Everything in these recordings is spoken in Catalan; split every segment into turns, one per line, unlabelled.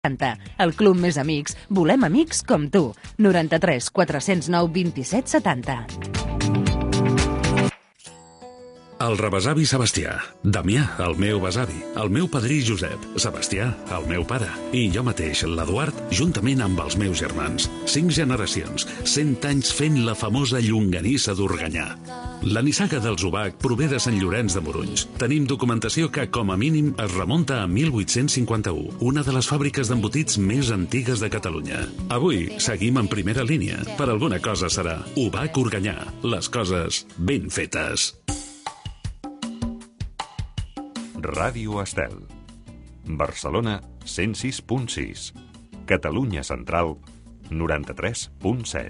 El Club Més Amics. Volem amics com tu. 93 409 27 70.
El rebesavi Sebastià, Damià, el meu besavi, el meu padrí Josep, Sebastià, el meu pare, i jo mateix, l'Eduard, juntament amb els meus germans. 5 generacions, 100 anys fent la famosa llonganissa d'Organyà. La nissaga dels Ubac prové de Sant Llorenç de Morunys. Tenim documentació que, com a mínim, es remunta a 1851, una de les fàbriques d'embotits més antigues de Catalunya. Avui seguim en primera línia. Per alguna cosa serà Ubac Organyà. Les coses ben fetes.
Ràdio Estel. Barcelona 106.6. Catalunya Central 93.7.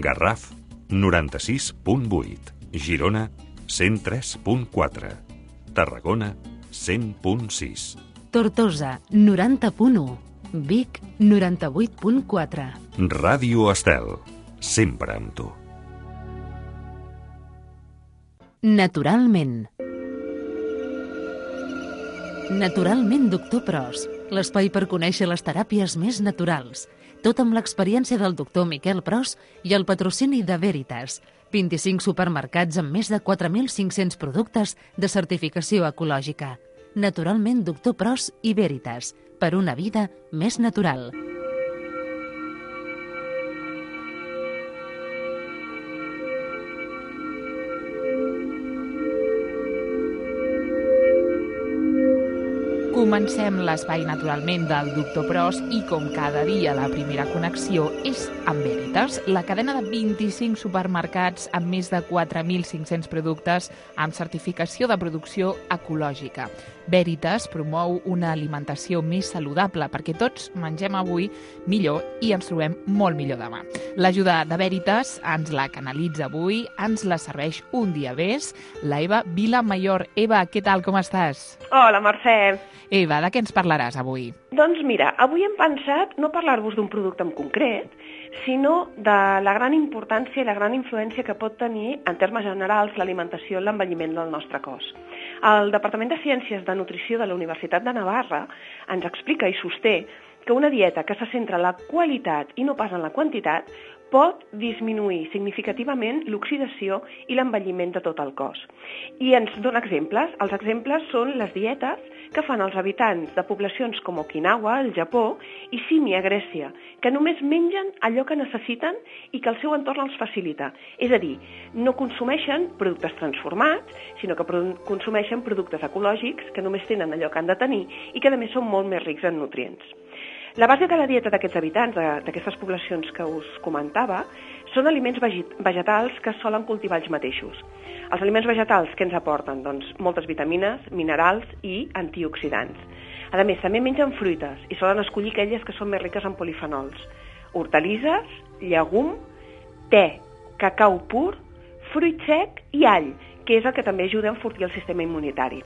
Garraf 96.8. Girona 103.4. Tarragona 100.6.
Tortosa 90.1. Vic 98.4.
Ràdio Estel. Sempre amb tu.
Naturalment. Naturalment, doctor Pros, l'espai per conèixer les teràpies més naturals. Tot amb l'experiència del doctor Miquel Pros i el patrocini de Veritas. 25 supermercats amb més de 4.500 productes de certificació ecològica. Naturalment, doctor Pros i Veritas, per una vida més natural.
Comencem l'espai naturalment del Doctor Pros i com cada dia la primera connexió és amb Veritas, la cadena de 25 supermercats amb més de 4.500 productes amb certificació de producció ecològica. Veritas promou una alimentació més saludable perquè tots mengem avui millor i ens trobem molt millor demà. L'ajuda de Veritas ens la canalitza avui, ens la serveix un dia més, la Eva Vilamayor. Eva, què tal, com estàs?
Hola, Mercè.
Eva, de què ens parlaràs avui?
Doncs mira, avui hem pensat no parlar-vos d'un producte en concret, sinó de la gran importància i la gran influència que pot tenir, en termes generals, l'alimentació en l'envelliment del nostre cos. El Departament de Ciències de Nutrició de la Universitat de Navarra ens explica i sosté que una dieta que se centra en la qualitat i no pas en la quantitat pot disminuir significativament l'oxidació i l'envelliment de tot el cos. I ens dona exemples. Els exemples són les dietes que fan els habitants de poblacions com Okinawa, al Japó, i Símia, a Grècia, que només mengen allò que necessiten i que el seu entorn els facilita. És a dir, no consumeixen productes transformats, sinó que consumeixen productes ecològics que només tenen allò que han de tenir i que a més són molt més rics en nutrients. La base de la dieta d'aquests habitants, d'aquestes poblacions que us comentava, són aliments vegetals que solen cultivar ells mateixos. Els aliments vegetals que ens aporten? Doncs moltes vitamines, minerals i antioxidants. A més, també mengen fruites i solen escollir aquelles que són més riques en polifenols. Hortalisses, llegum, te, cacau pur, fruit sec i all, que és el que també ajuda a enfortir el sistema immunitari.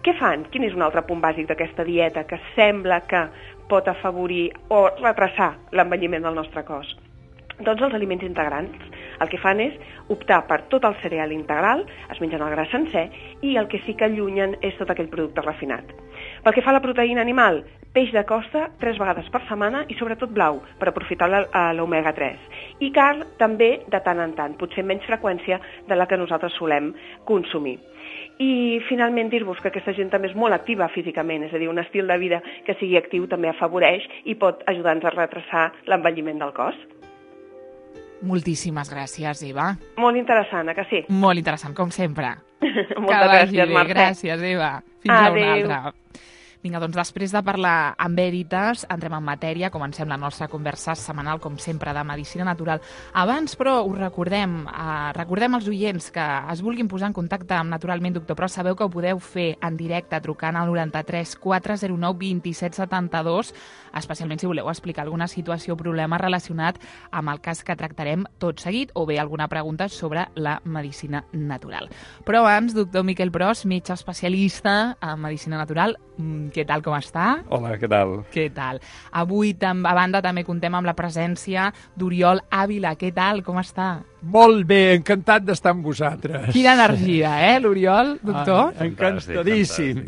Què fan? Quin és un altre punt bàsic d'aquesta dieta que sembla que pot afavorir o retrasar l'envelliment del nostre cos? Doncs els aliments integrants. El que fan és optar per tot el cereal integral, es mengen el gra sencer, i el que sí que allunyen és tot aquell producte refinat. Pel que fa a la proteïna animal, peix de costa 3 vegades per setmana i sobretot blau, per aprofitar l'omega 3. I carn també de tant en tant, potser amb menys freqüència de la que nosaltres solem consumir. I finalment dir-vos que aquesta gent també és molt activa físicament, és a dir, un estil de vida que sigui actiu també afavoreix i pot ajudar-nos a retrasar l'envelliment del cos.
Moltíssimes gràcies, Eva.
Molt interessant, que sí?
Molt interessant, com sempre.
Moltes gràcies, Mercè.
Gràcies, Eva. Fins a una altra. Vinga, doncs després de parlar amb Veritas, entrem en matèria, comencem la nostra conversa setmanal, com sempre, de medicina natural. Abans, però, us recordem als oients que es vulguin posar en contacte amb Naturalment Doctor Pros. Sabeu que ho podeu fer en directe trucant al 93 409 27 72, especialment si voleu explicar alguna situació o problema relacionat amb el cas que tractarem tot seguit, o bé alguna pregunta sobre la medicina natural. Però abans, doctor Miquel Pros, metge especialista en medicina natural, què tal, com està?
Hola, què tal?
Què tal? Avui, a banda, també contem amb la presència d'Oriol Ávila. Què tal, com està?
Molt bé, encantat d'estar amb vosaltres.
Quina energia, l'Oriol, doctor?
Encantadíssim.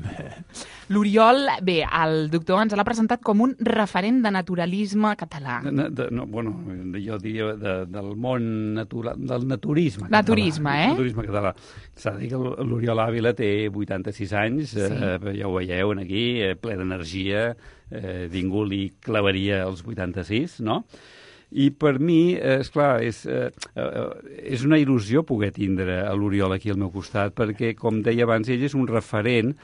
L'Oriol, bé, el doctor ens l'ha presentat com un referent de naturalisme català.
Jo diria del món natural, del naturisme català.
Naturisme,
Naturisme català. S'ha de dir que l'Oriol Ávila té 86 anys, ja ho veieu aquí, ple d'energia, ningú li clavaria els 86, no? I per mi, esclar, és una il·lusió poder tindre l'Oriol aquí al meu costat, perquè, com deia abans, ell és un referent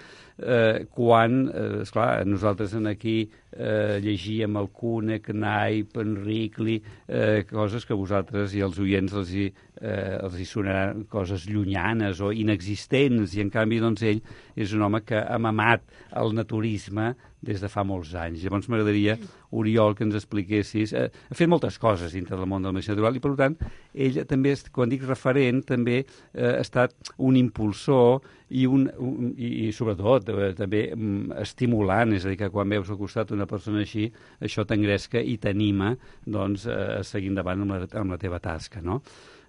quan, esclar, nosaltres aquí llegíem el Cúnec, Naip, Enricli, coses que a vosaltres i als oients els hi sonaran coses llunyanes o inexistents, i en canvi doncs ell és un home que ha mamat el naturisme des de fa molts anys. Llavors m'agradaria, Oriol, que ens expliquessis. Ha fet moltes coses dintre del món de la medicina natural i, per tant, ell també, quan dic referent, també ha estat un impulsor i sobretot, també estimulant. És a dir, que quan veus al costat una persona així, això t'engresca i t'anima doncs, a seguir endavant amb la teva tasca, no?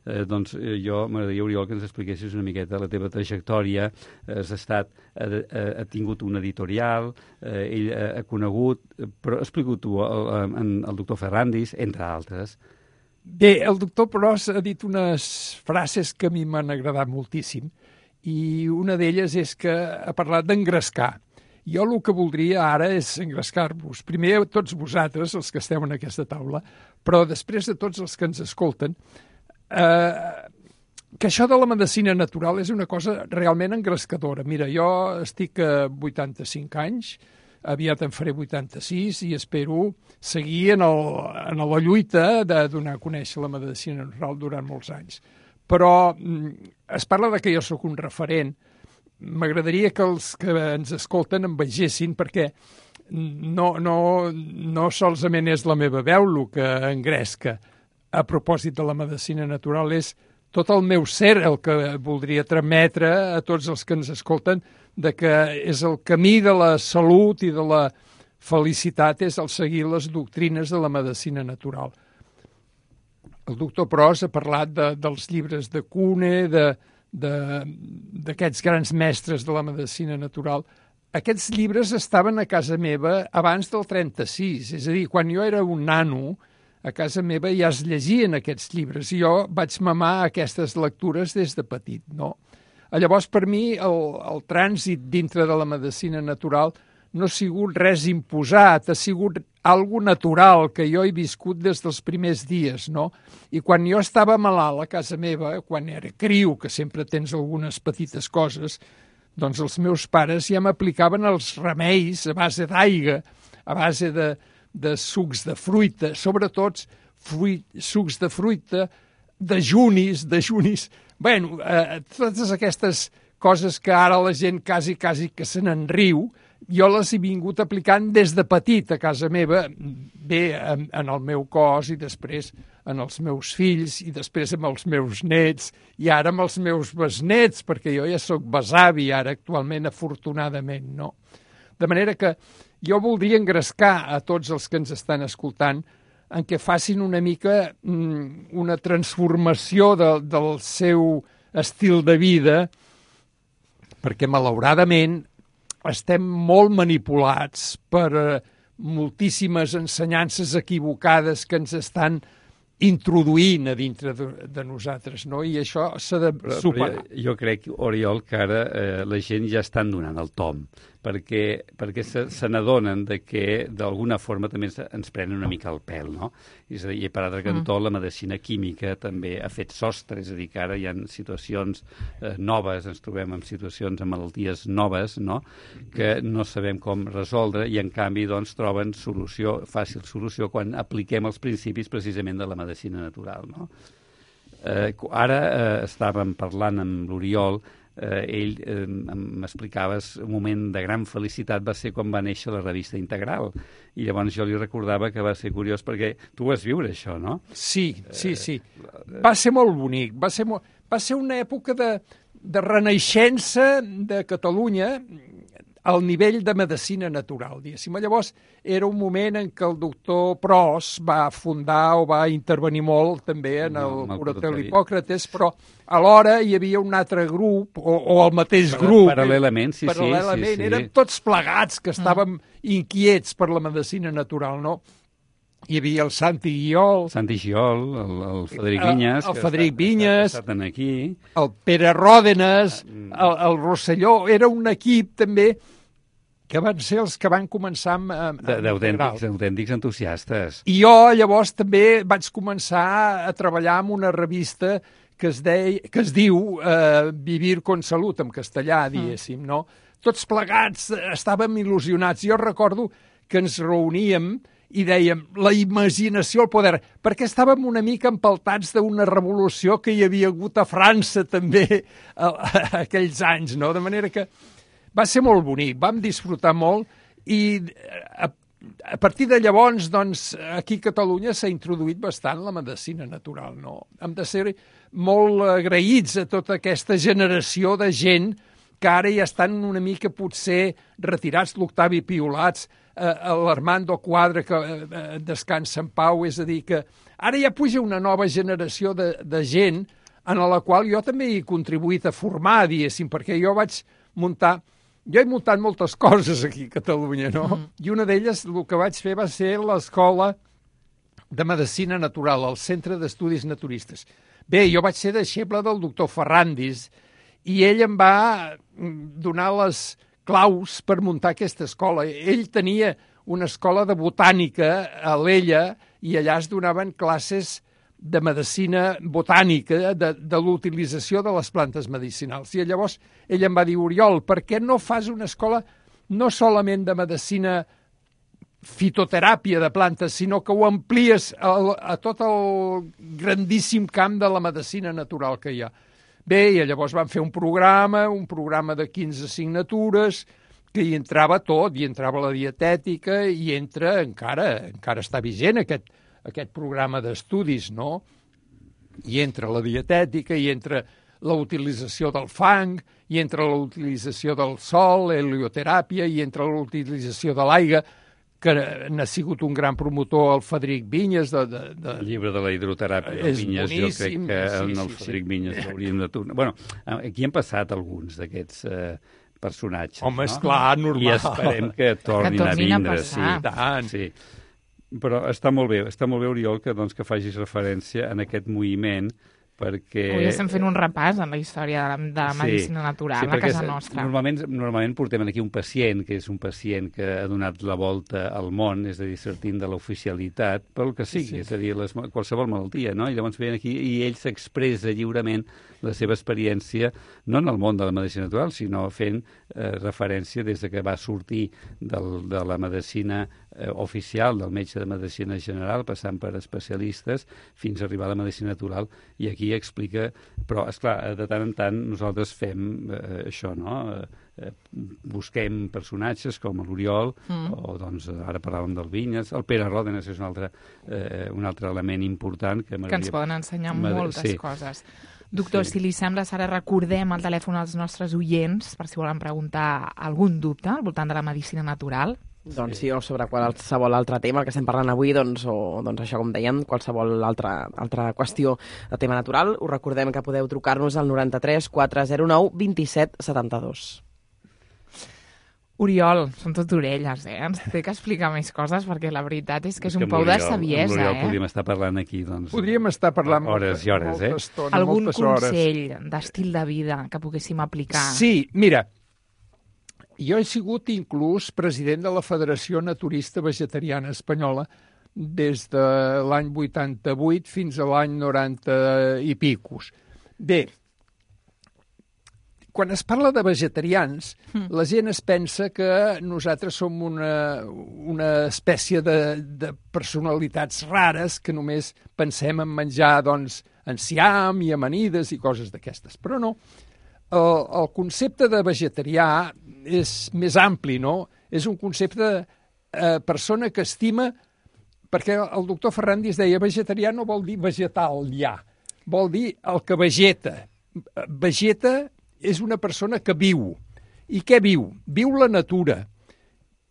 Jo m'agradaria, Oriol, que ens expliquessis una miqueta la teva trajectòria. Ha tingut un editorial, ell ha conegut, però explica-ho tu, el doctor Ferrandis, entre altres.
Bé, el doctor Pros ha dit unes frases que a mi m'han agradat moltíssim, i una d'elles és que ha parlat d'engrescar. Jo el que voldria ara és engrescar-vos. Primer a tots vosaltres, els que esteu en aquesta taula, però després de tots els que ens escolten, que això de la medicina natural és una cosa realment engrescadora. Mira, jo estic a 85 anys, aviat en faré 86 i espero seguir en la lluita de donar a conèixer la medicina natural durant molts anys. Però es parla de que jo sóc un referent. M'agradaria que els que ens escolten em vegessin, perquè no solament és la meva veu el que engresca. A propòsit de la medicina natural, és tot el meu ser el que voldria trametre a tots els que ens escolten, de que és el camí de la salut i de la felicitat, és el seguir les doctrines de la medicina natural. El doctor Pros ha parlat dels llibres de Kuhne, d'aquests grans mestres de la medicina natural. Aquests llibres estaven a casa meva abans del 36, és a dir, quan jo era un nano, a casa meva ja es llegien aquests llibres i jo vaig mamar aquestes lectures des de petit, no? Llavors, per mi, el trànsit dintre de la medicina natural no ha sigut res imposat, ha sigut algo natural que jo he viscut des dels primers dies, no? I quan jo estava malalt a casa meva, quan era criu, que sempre tens algunes petites coses, doncs els meus pares ja m'aplicaven els remeis a base d'aigua, a base de sucs de fruita, sobretot sucs de fruita, dejunis. Bueno, totes aquestes coses que ara la gent quasi que se n'enriu, jo les he vingut aplicant des de petit a casa meva, bé, en el meu cos i després en els meus fills i després amb els meus nets i ara amb els meus besnets, perquè jo ja sóc besavi ara actualment, afortunadament, no? De manera que jo voldria engrescar a tots els que ens estan escoltant en què facin una mica una transformació del seu estil de vida, perquè malauradament estem molt manipulats per moltíssimes ensenyances equivocades que ens estan introduint a dintre de nosaltres, no? I això s'ha de superar.
Jo crec, Oriol, que ara la gent ja estan donant el tom, perquè se n'adonen que d'alguna forma també ens prenen una mica el pèl, no? És a dir, i per altre cantó, la medicina química també ha fet sostre, és a dir, que ara hi ha situacions noves, ens trobem en situacions, en malalties noves, no?, que no sabem com resoldre i, en canvi, doncs, troben fàcil solució quan apliquem els principis precisament de la medicina natural, no? Ara estàvem parlant amb l'Oriol, ell m'explicaves un moment de gran felicitat va ser quan va néixer la revista Integral, i llavors jo li recordava que va ser curiós perquè tu vas viure això, no?
Sí. Va ser molt bonic, va ser una època de renaixença de Catalunya. al nivell de medicina natural, diguéssim. Llavors, era un moment en què el doctor Pros va fundar o va intervenir molt també en el Curatel Hipòcrates, però alhora hi havia un altre grup, o el mateix grup.
Paral·lelament, sí.
Érem tots plegats que estàvem inquiets per la medicina natural, no? Hi havia el Santi Guiol,
el Frederic Vinyes,
el Frederic Vinyes,
que estan aquí,
el Pere Ròdenes, el Rosselló. Era un equip també que van ser els que van començar amb
d'autèntics entusiastes.
I jo llavors també vaig començar a treballar en una revista que es diu Vivir con Salut, en castellà, diguéssim, no? Tots plegats estàvem il·lusionats. Jo recordo que ens reuníem i dèiem, la imaginació al poder, perquè estàvem una mica empaltats d'una revolució que hi havia hagut a França també aquells anys, no? De manera que va ser molt bonic, vam disfrutar molt i a partir de llavors, doncs, aquí a Catalunya s'ha introduït bastant la medicina natural, no? Hem de ser molt agraïts a tota aquesta generació de gent que ara ja estan una mica potser retirats, l'Octavi Piolats, l'Armando Quadra, que descansa en pau, és a dir, que ara ja puja una nova generació de gent en la qual jo també he contribuït a formar, diguéssim, perquè jo he muntat moltes coses aquí a Catalunya, no? I una d'elles, el que vaig fer va ser l'Escola de Medicina Natural, el Centre d'Estudis Naturistes. Bé, jo vaig ser deixeble del doctor Ferrandis i ell em va donar les claus per muntar aquesta escola. Ell tenia una escola de botànica a l'Ella i allà es donaven classes de medicina botànica, de l'utilització de les plantes medicinals. I llavors ell em va dir, Oriol, per què no fas una escola no solament de medicina fitoteràpia de plantes, sinó que ho amplies a tot el grandíssim camp de la medicina natural que hi ha. Bé, i llavors van fer un programa de 15 assignatures, que hi entrava tot, hi entrava la dietètica, i encara està vigent aquest programa d'estudis, no? Hi entra la dietètica, hi entra la utilització del fang, hi entra la utilització del sol, helioteràpia, hi entra la utilització de l'aigua, que n'ha sigut un gran promotor el Frederic Vinyes.
El llibre de la hidroteràpia de Vinyes, jo crec que el Frederic Vinyes l'hauríem de tornar. Bueno, aquí han passat alguns d'aquests personatges.
Home, esclar, normal.
I esperem que tornin a vindre. Sí. Però està molt bé, Oriol, que facis referència en aquest moviment, perquè...
Avui estem fent un repàs en la història de la medicina natural a casa nostra.
Normalment portem aquí un pacient, que és un pacient que ha donat la volta al món, és a dir, sortint de l'oficialitat, pel que sigui, és a dir, qualsevol malaltia, no? I llavors ven aquí i ell s'expressa lliurement la seva experiència, no en el món de la medicina natural, sinó fent referència des que va sortir de la medicina oficial, del metge de medicina general, passant per especialistes, fins a arribar a la medicina natural, i aquí explica... Però, esclar, de tant en tant nosaltres fem això, no? Busquem personatges com l'Oriol, o doncs ara parlàvem del Vinyes, el Pere Ròdenes és un altre element important que
ens poden ensenyar moltes coses. Doctor, si li sembla, Sara, recordem el telèfon als nostres oients per si volen preguntar algun dubte al voltant de la medicina natural.
Doncs sí, o sobre qualsevol altre tema que estem parlant avui, doncs això, com dèiem, qualsevol altra qüestió de tema natural. Us recordem que podeu trucar-nos al 93 409 27 72.
Oriol, són tot orelles, Ens té que explicar més coses, perquè la veritat és que és un pou de saviesa,
Oriol podríem estar parlant aquí, doncs...
Podríem estar parlant
hores i hores,
estona,
algun consell d'estil de vida que poguéssim aplicar?
Sí, mira, jo he sigut inclús president de la Federació Naturista Vegetariana Espanyola des de l'any 88 fins a l'any 90 i picos. Bé, quan es parla de vegetarians, la gent es pensa que nosaltres som una espècie de personalitats rares que només pensem en menjar, doncs, enciam i amanides i coses d'aquestes. Però no, el concepte de vegetarià és més ampli, no? És un concepte de persona que estima, perquè el doctor Ferrandis deia vegetarià no vol dir vegetal, vol dir el que vegeta. Vegeta és una persona que viu, I què viu? Viu la natura.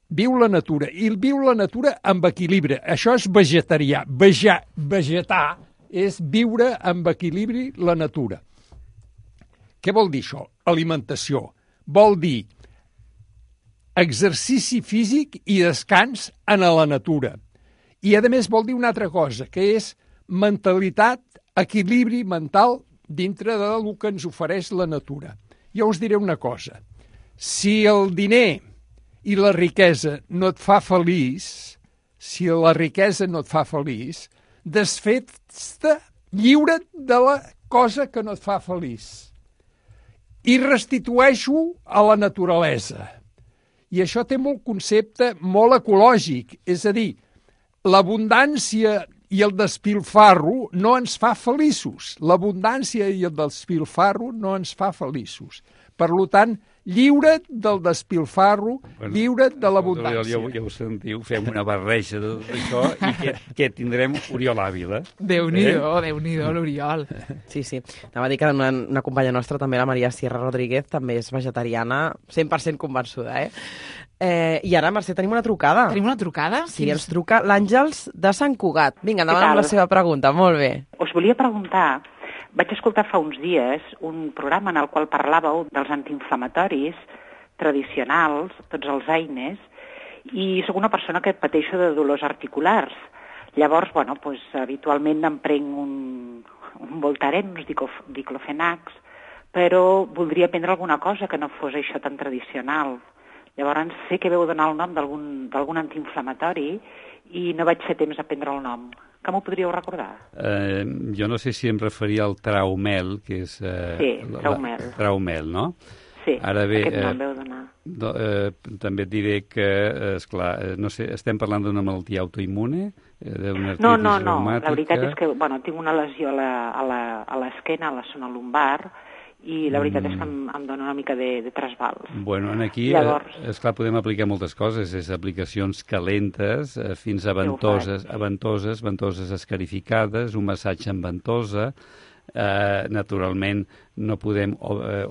Viu la natura. I viu la natura amb equilibri. Això és vegetarià. Vegetar és viure amb equilibri la natura. Què vol dir això? Alimentació. Vol dir exercici físic i descans en la natura. I, a més, vol dir una altra cosa, que és mentalitat, equilibri mental dintre del que ens ofereix la natura. Jo us diré una cosa. Si el diner i la riquesa no et fa feliç, desfets-te, lliure't de la cosa que no et fa feliç. I restitueix-ho a la naturalesa. I això té molt concepte molt ecològic, és a dir, l'abundància i el despilfarro no ens fa feliços. L'abundància i el despilfarro no ens fa feliços. Per tant, lliure't del despilfarro, lliure't de l'abundància.
Ja ho sentiu, fem una barreja de tot això i què tindrem? Oriol Àvila.
Déu-n'hi-do, Déu-n'hi-do, l'Oriol.
Sí. Anava a dir que una companya nostra, també la Maria Sierra Rodríguez, també és vegetariana, 100% convençuda, I ara, Mercè, tenim una trucada.
Tenim una trucada?
Sí, ens truca l'Àngels de Sant Cugat. Vinga, endavant amb la seva pregunta, molt bé.
Us volia preguntar, vaig escoltar fa uns dies un programa en el qual parlàveu dels antiinflamatoris tradicionals, tots els AINES, i sóc una persona que pateixo de dolors articulars. Llavors, habitualment em prenc un Voltaren, uns diclofenacs, però voldria prendre alguna cosa que no fos això tan tradicional. Llavors sé que veu donar el nom d'algun antiinflamatori i no vaig fer temps a prendre el nom. Que m'ho podríeu recordar?
Jo no sé si em referia al Traumel, que és...
Sí, Traumel.
Traumel, no?
Sí,
ara bé,
aquest nom veu donar.
També et diré que, esclar, no sé, estem parlant d'una malaltia autoimmune?
No, la veritat és que tinc una lesió a l'esquena, a la zona lumbar, i la veritat és que em dona una mica de trasbals.
Bueno, aquí, esclar, podem aplicar moltes coses, és aplicacions calentes fins a ventoses escarificades, un massatge amb ventosa. Naturalment, no podem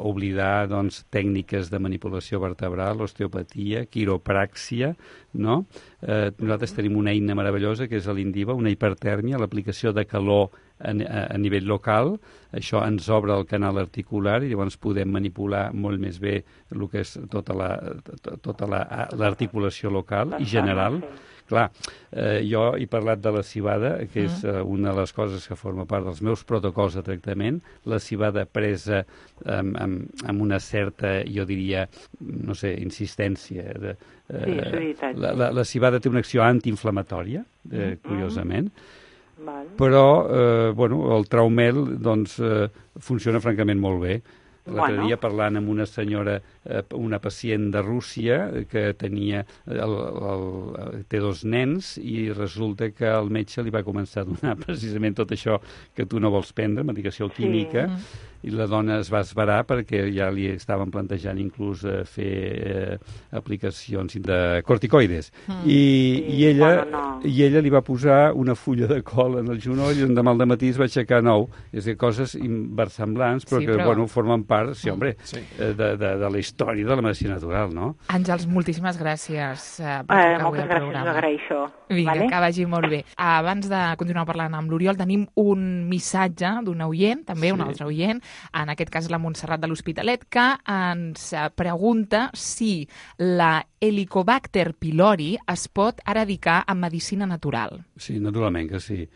oblidar tècniques de manipulació vertebral, osteopatia, quiropràxia, no? Nosaltres tenim una eina meravellosa que és l'Indiva, una hipertèrmia, l'aplicació de calor a nivell local. Això ens obre el canal articular i llavors podem manipular molt més bé el que és tota l'articulació local i general. Clar, jo he parlat de la cibada, que és una de les coses que forma part dels meus protocols de tractament. La cibada presa amb una certa, jo diria, no sé, insistència.
Sí, és veritat.
La cibada té una acció antiinflamatòria, curiosament. Però, el Traumel, funciona francament molt bé. L'altre dia parlant amb una senyora, una pacient de Rússia que tenia té 2 nens i resulta que el metge li va començar a donar precisament tot això que tu no vols prendre, medicació química, i la dona es va esverar perquè ja li estaven plantejant inclús fer aplicacions de corticoides. I ella li va posar una fulla de col en el genoll i demà al dematí es va aixecar nou. És dir, coses versemblants, però que formen part, de la història de la medicina natural, no?
Àngels, moltíssimes gràcies per trucar avui al programa.
Moltes gràcies, us agraeixo.
Vinga, que vagi molt bé. Abans de continuar parlant amb l'Oriol, tenim un missatge d'un oient, també un altre oient, en aquest cas la Montserrat de l'Hospitalet, que ens pregunta si la Helicobacter pylori es pot eradicar amb medicina natural.
Sí, naturalment que sí.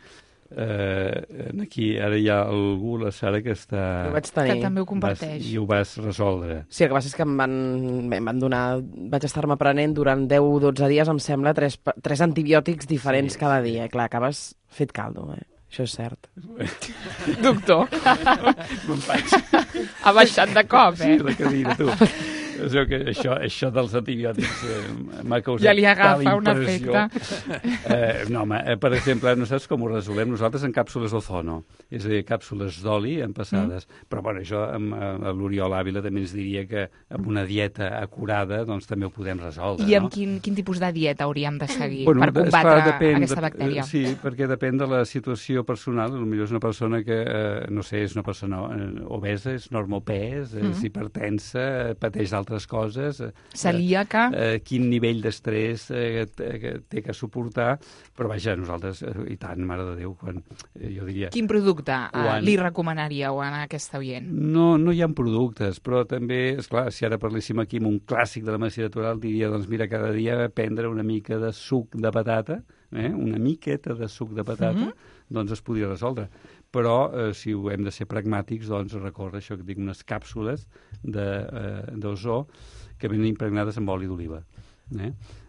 Aquí ara hi ha algú, la Sara, que està...
Que també ho comparteix.
I ho vas resoldre.
Sí, el que passa és que em van donar... Vaig estar-me prenent durant 10-12 dies, em sembla, 3 antibiòtics diferents cada dia. I clar, acabes fet caldo, Això és cert.
Doctor. Ha baixat de cop,
Sí, la cadira, tu. Això dels antibiòtics m'ha causat
ja li agafa
tal
un
impressió.
efecte.
No, home, per exemple, no saps com ho resolem nosaltres en càpsules d'ozono, és a dir, càpsules d'oli empassades. Però, bueno, això amb l'Oriol Àvila també ens diria que amb una dieta acurada doncs també ho podem resoldre.
I amb quin tipus de dieta hauríem de seguir
per
combatre aquesta bactèria?
Sí, perquè depèn de la situació personal. Potser és una persona que, no sé, és una persona obesa, és normopès, és hipertensa, pateix d'altres altres coses.
Celíaca.
Quin nivell d'estrès té que suportar, però vaja, nosaltres, i tant, mare de Déu, quan jo diria...
Quin producte li recomanaríeu a aquesta oient?
No hi ha productes, però també, esclar, si ara parléssim aquí amb un clàssic de la medicina natural, diria, doncs mira, cada dia prendre una mica de suc de patata, una miqueta de suc de patata, doncs es podria resoldre. Però, si ho hem de ser pragmàtics, doncs recórrer això que dic, unes càpsules d'ozó que venen impregnades amb oli d'oliva.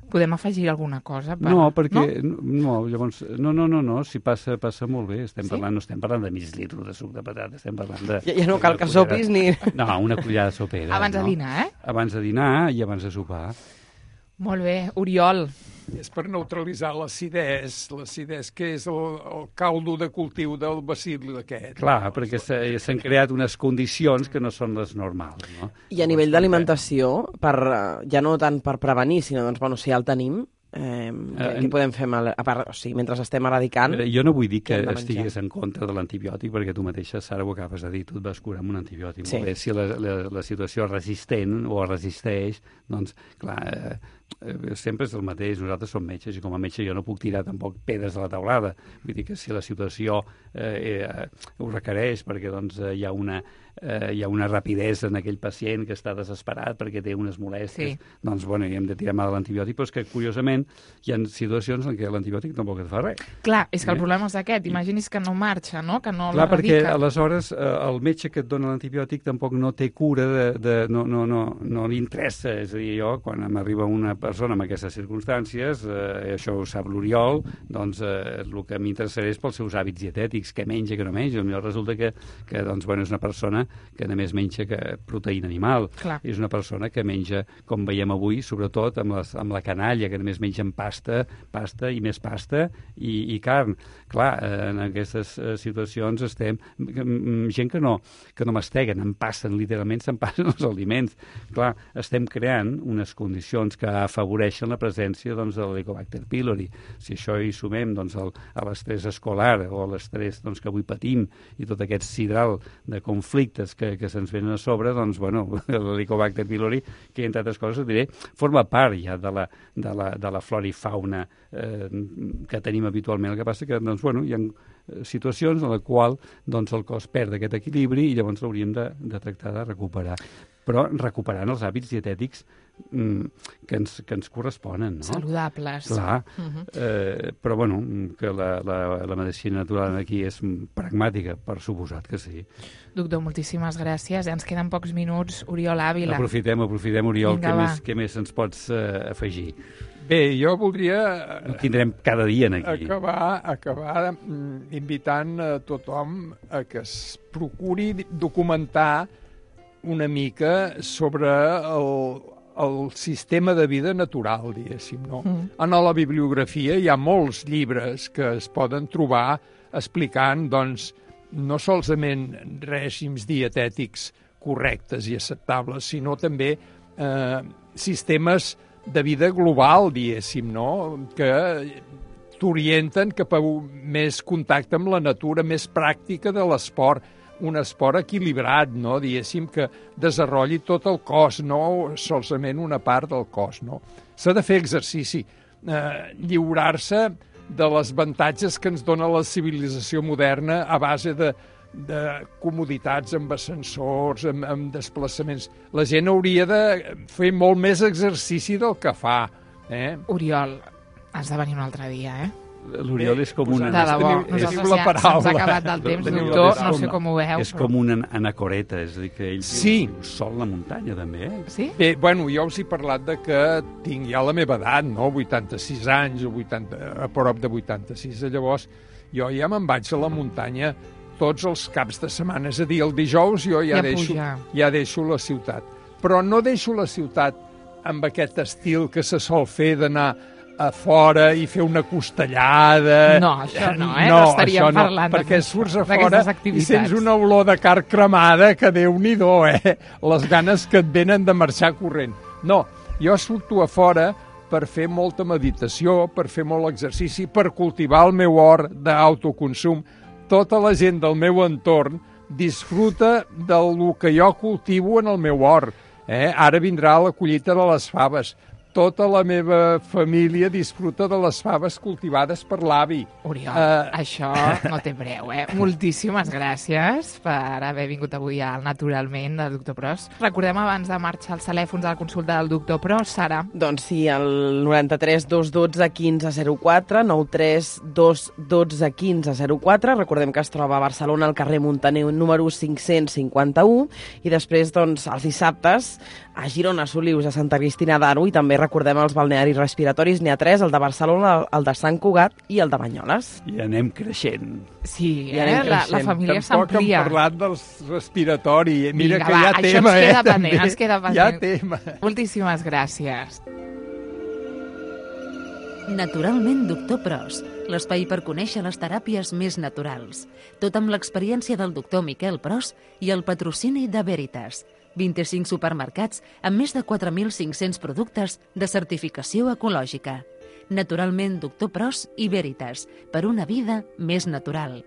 Podem afegir alguna cosa?
No, perquè... No, llavors... No, si passa molt bé. No estem parlant de mig litro de suc de patata, estem parlant de...
Ja no cal que sopis ni...
No, una cullada sopera.
Abans de dinar,
Abans de dinar i abans de sopar.
Molt bé. Oriol.
És per neutralitzar l'acidès que és el caldo de cultiu del bacil aquest.
Clar, perquè s'han creat unes condicions que no són les normals, no?
I a nivell d'alimentació, ja no tant per prevenir, sinó, doncs, bueno, si ja el tenim, què podem fer a part, o sigui, mentre estem eradicant...
Jo no vull dir que estiguis en contra de l'antibiòtic, perquè tu mateixa, Sara, ho acabes de dir, tu et vas curar amb un antibiòtic. Sí. Molt bé, si la situació és resistent o resisteix, doncs, clar, sempre és el mateix. Nosaltres som metges i com a metge jo no puc tirar tampoc pedres a la taulada. Vull dir que si la situació ho requereix perquè doncs, hi ha una rapidesa en aquell pacient que està desesperat perquè té unes molèsties, doncs bueno, hi hem de tirar mà de l'antibiòtic, però és que curiosament hi ha situacions en què l'antibiòtic tampoc et fa res.
Clar, és que el problema és aquest. Imaginis que no marxa, no? Que no
l'erradica. Clar, perquè aleshores el metge que et dona l'antibiòtic tampoc no té cura, no li interessa. És a dir, jo, quan m'arriba una persona en aquestes circumstàncies, això ho sap l'Oriol, doncs el que m'interessarà és pels seus hàbits dietètics, què menja, què no menja. Potser resulta que doncs, bueno, és una persona que només menja proteïna animal.
Clar.
És una persona que menja, com veiem avui, sobretot amb la canalla, que només mengen pasta i més pasta i carn. Clar, en aquestes situacions estem... Gent que no masteguen, literalment se'n passen els aliments. Clar, estem creant unes condicions que afavoreixen la presència doncs, de l'Helicobacter pylori. Si això hi sumem doncs, a l'estrès escolar o a l'estrès doncs, que avui patim i tot aquest sidral de conflictes que se'ns venen a sobre, doncs, bueno, l'Helicobacter pylori, que entre altres coses, diré, forma part ja de la flora i fauna que tenim habitualment. El que passa que doncs, bueno, hi ha situacions en la qual doncs, el cos perd aquest equilibri i llavors l'hauríem de tractar de recuperar. Però recuperant els hàbits dietètics que ens corresponen, no?
Saludables.
Clar. Però, bueno, que la medicina natural aquí és pragmàtica, per suposat que sí.
Doctor, moltíssimes gràcies. Ens queden pocs minuts. Oriol Àvila.
Aprofitem, Oriol. Què més ens pots afegir?
Bé, jo voldria...
Ho tindrem cada dia aquí.
Acabar invitant a tothom a que es procuri documentar una mica sobre el sistema de vida natural, diguéssim, no? En la bibliografia hi ha molts llibres que es poden trobar explicant, doncs, no solament règims dietètics correctes i acceptables, sinó també sistemes de vida global, diguéssim, no? Que t'orienten cap a més contacte amb la natura, més pràctica de l'esport, un esport equilibrat, no? Diguéssim, que desenvolupi tot el cos, no solament una part del cos, no? S'ha de fer exercici, lliurar-se de les avantatges que ens dona la civilització moderna a base de comoditats amb ascensors, amb desplaçaments. La gent hauria de fer molt més exercici del que fa.
Oriol, has de venir un altre dia,
L'Oriol és com una...
De debò, nosaltres ja se'ns ha acabat el temps, doctor, no sé com ho veu.
És com una anacoreta, és a dir, que ell viu sol la muntanya, també,
Sí?
Bé, bueno, jo us he parlat de que tinc ja la meva edat, no? 86 anys, o a prop de 86, llavors jo ja me'n vaig a la muntanya tots els caps de setmana, és a dir, el dijous jo ja deixo la ciutat. Però no deixo la ciutat amb aquest estil que se sol fer d'anar a fora i fer una costellada...
No, això no, no estaríem parlant
perquè surts a fora i sents una olor de carn cremada que Déu-n'hi-do, les ganes que et venen de marxar corrent. No, jo surto a fora per fer molta meditació, per fer molt exercici, per cultivar el meu hort d'autoconsum. Tota la gent del meu entorn disfruta del que jo cultivo en el meu hort. Ara vindrà la collita de les faves. Tota la meva família disfruta de les faves cultivades per l'avi.
Oriol, això no té preu, Moltíssimes gràcies per haver vingut avui al Naturalment del Doctor Pros. Recordem abans de marxar els telèfons de la consulta del Doctor Pros, Sara.
Doncs sí, el 93 212 1504, 93 212 1504. Recordem que es troba a Barcelona, al carrer Muntaner, número 551. I després, doncs, els dissabtes, a Girona, Solius, a Santa Cristina d'Aro, i també recordem els balnearis respiratoris, n'hi ha 3, el de Barcelona, el de Sant Cugat i el de Banyoles.
I anem creixent.
Sí, la família s'amplia.
Tampoc hem parlat dels respiratori. Mira que
va,
hi ha tema,
ens queda pendent.
Hi ha tema.
Moltíssimes gràcies.
Naturalment, Doctor Pros, l'espai per conèixer les teràpies més naturals. Tot amb l'experiència del doctor Miquel Pros i el patrocini de Veritas. 25 supermercats amb més de 4.500 productes de certificació ecològica. Naturalment, Doctor Pros i Veritas, per una vida més natural.